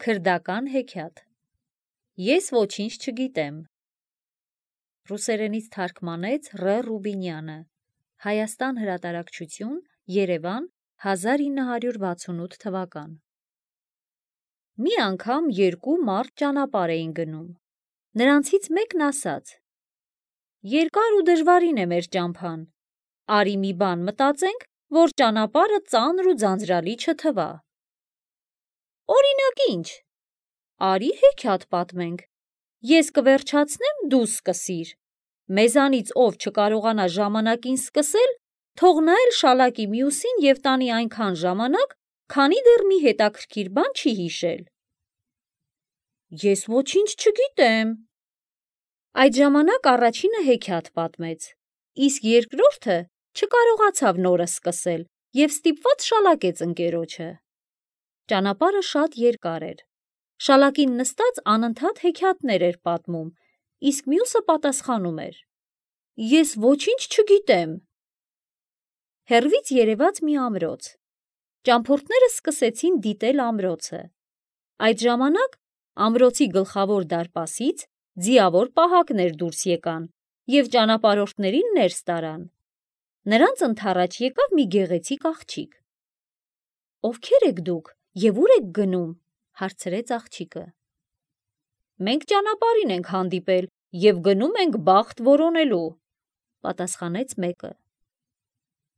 Քրդական հեքիաթ։ Ես ոչինչ չգիտեմ։ Ռուսերենից թարգմանեց Ռ. Ռուբինյանը։ Հայաստան հրատարակչություն, Երևան, 1968 թվական։ Մի անգամ երկու մարդ ճանապարհ էին գնում։ Նրանցից մեկն ասաց. «Երկար ու դժվարին է մեր ճամփան։ Արի մի բան մտածենք, որ ճանապարհը ծանր ու ձանձրալի չթվա»։ Օրինակ ինչ։ Արի հեքիաթ պատմենք։ Ես կվերջացնեմ, դու սկսիր։ Մեզանից ով չկարողանա ժամանակին սկսել, թող նա էլ շալակի մյուսին և տանի այնքան ժամանակ, քանի դեռ մի հետաքրքիր բան չի հիշել։ Ես ոչինչ չգիտեմ։ Այդ ժամանակ առաջինը հեքիաթ պատմեց, իսկ երկրորդը չկարողացավ նորը սկսել և ստիպված շալակեց ընկերոջը։ Ճանապարհը շատ երկար էր։ Շալակին նստած անընդհատ հեքիաթներ էր պատմում, իսկ մյուսը պատասխանում էր. «Ես ոչինչ չգիտեմ»։ Հեռվից երևաց մի ամրոց։ Ճամփորդները սկսեցին դիտել ամրոցը։ Այդ ժամանակ ամրոցի գլխավոր դարպասից ձիավոր պահակներ դուրս եկան և ճանապարհորդներին ներս տարան։ Նրանց ընդառաջ եկավ մի գեղեցիկ աղջիկ։ «Ովքեր եք դուք և ուր եք գնում»։ Հարցրեց աղջիկը։ «Մենք ճանապարհին ենք հանդիպել և գնում ենք բախտ որոնելու», պատասխանեց մեկը։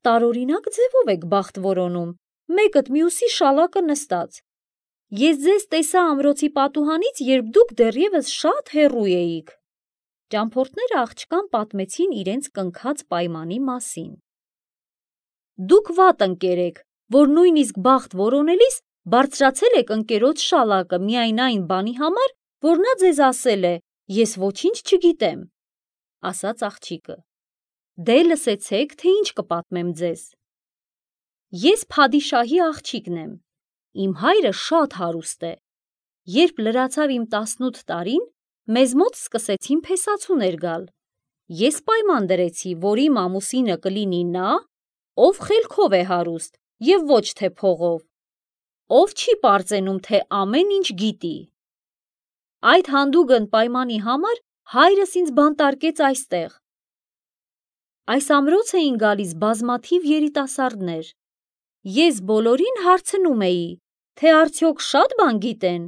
«Տարօրինակ ձևով եք բախտ որոնում, մեկդ մյուսի շալակը նստած։ Ես ձեզ տեսա ամրոցի պատուհանից, երբ դուք դեռևս շատ հեռու էիք»։ Ճամփորդները աղջկան պատմեցին իրենց կնքած պայմանի մասին։ «Դուք վատ ընկեր եք, որ նույնիսկ բախտ որոնելիս բարձրացել եք ընկերոջ շալակը միայն այն բանի համար, որ նա ձեզ ասել է «ես ոչինչ չգիտեմ», ասաց աղջիկը։ Դե լսեցեք, թե ինչ կպատմեմ ձեզ։ Ես փադիշահի աղջիկն եմ։ Իմ հայրը շատ հարուստ է։ Երբ լրացավ իմ 18 տարին, մեզ մոտ սկսեցին փեսացուներ գալ։ Ես պայման դրեցի, որ իմ ամուսինը կլինի նա, ով խելքով է հարուստ և ոչ թե փողով, ով չի պարծենում, թե ամեն ինչ գիտի։ Այդ հանդուգն պայմանի համար հայրս ինձ բանտարկեց այստեղ։ Այս ամրոց էին գալիս բազմաթիվ երիտասարդներ։ Ես բոլորին հարցնում էի, թե արդյոք շատ բան գիտեն,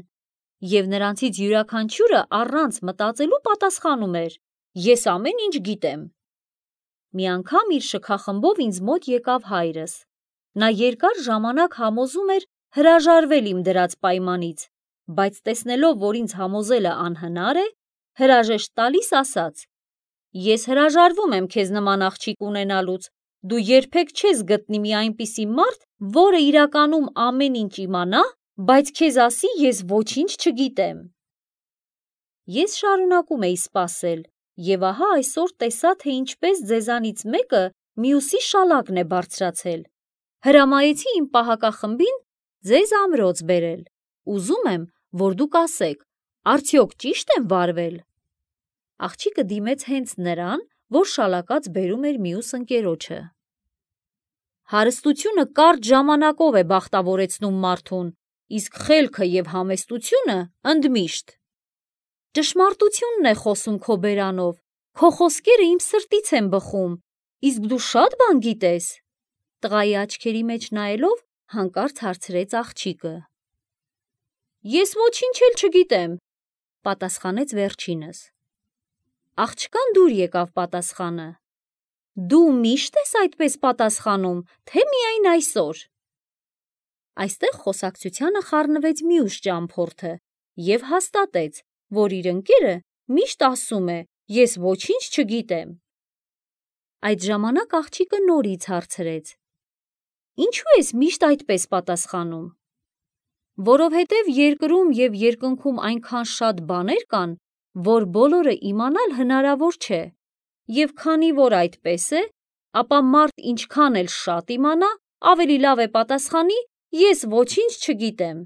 և նրանցից յուրաքանչյուրը առանց մտածելու պատասխանում էր. «Ես ամեն ինչ գիտեմ»։ Մի անգամ իր շքախմբով ինձ մոտ եկավ հայրս։ Նա երկար ժամանակ համոզում էր հրաժարվել իմ դրած պայմանից, բայց տեսնելով, որ ինձ համոզելը անհնար է, հրաժեշտ տալիս ասաց. «Ես հրաժարվում եմ քեզ նման աղջիկ ունենալուց, դու երբեք չես գտնի մի այնպիսի մարդ, որը իրականում ամեն ինչ իմանա, բայց քեզ ասի «ես ոչինչ չգիտեմ»։ Ես շարունակում էի սպասել, և ահա այսօր տեսա, թե ինչպես ձեզանից մեկը մյուսի շալակն է բարձրացել։ Հրամայեցի իմ պահակախմբին ձեզ ամրոց բերել։ Ուզում եմ, որ դուք ասեք, արդյոք ճիշտ եմ վարվել։ Աղջիկը դիմեց հենց նրան, որ շալակած բերում էր մյուս ընկերոջը։ Հարստությունը կարճ ժամանակով է բախտավորեցնում մարդուն, իսկ խելքը և համեստությունը ընդմիշտ։ Ճշմարտությունն է խոսում քո բերանով, քո խոսքերը իմ սրտից են բխում, իսկ դու շատ բան գիտես։ Տղայի աչքերի մեջ նայելով հանկարծ հարցրեց աղջիկը։ Ես ոչինչ էլ չգիտեմ, պատասխանեց վերջինս։ Աղջկան դուր եկավ պատասխանը։ Դու միշտ ես այդպես պատասխանում, թե միայն այսօր։ Այստեղ խոսակցությանը խառնվեց մյուս ճամփորդը և հաստատեց, որ իր ընկերը միշտ ասում է «ես ոչինչ չգիտեմ»։ Այդ ժամանակ աղջիկը նորից հարցրեց. Ինչու ես միշտ այդպես պատասխանում։ Որովհետև երկրում և երկնքում այնքան շատ բաներ կան, որ բոլորը իմանալ հնարավոր չէ, և քանի որ այդպես է, ապա մարդ ինչքան էլ շատ իմանա, ավելի լավ է պատասխանի «ես ոչինչ չգիտեմ»։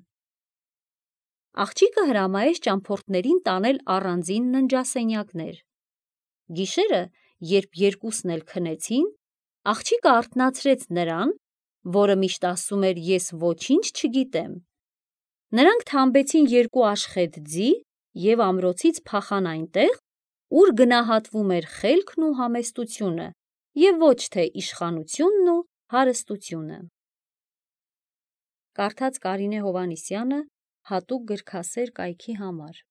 Աղջիկը հրամայեց ճամփորդներին տանել առանձին ննջասենյակներ։ Գիշերը, երբ երկուսն էլ քնեցին, աղջիկը արթնացրեց նրան, որը միշտ ասում էր «ես ոչինչ չգիտեմ», Նրանք թամբեցին 2 աշխետ ձի և ամրոցից փախան այնտեղ, ուր գնահատվում էր խելքն ու համեստությունը և ոչ թե իշխանությունն ու հարստությունը։ Կարդաց Կարինե Հովհաննիսյանը հատուկ գրքասեր կայքի համար։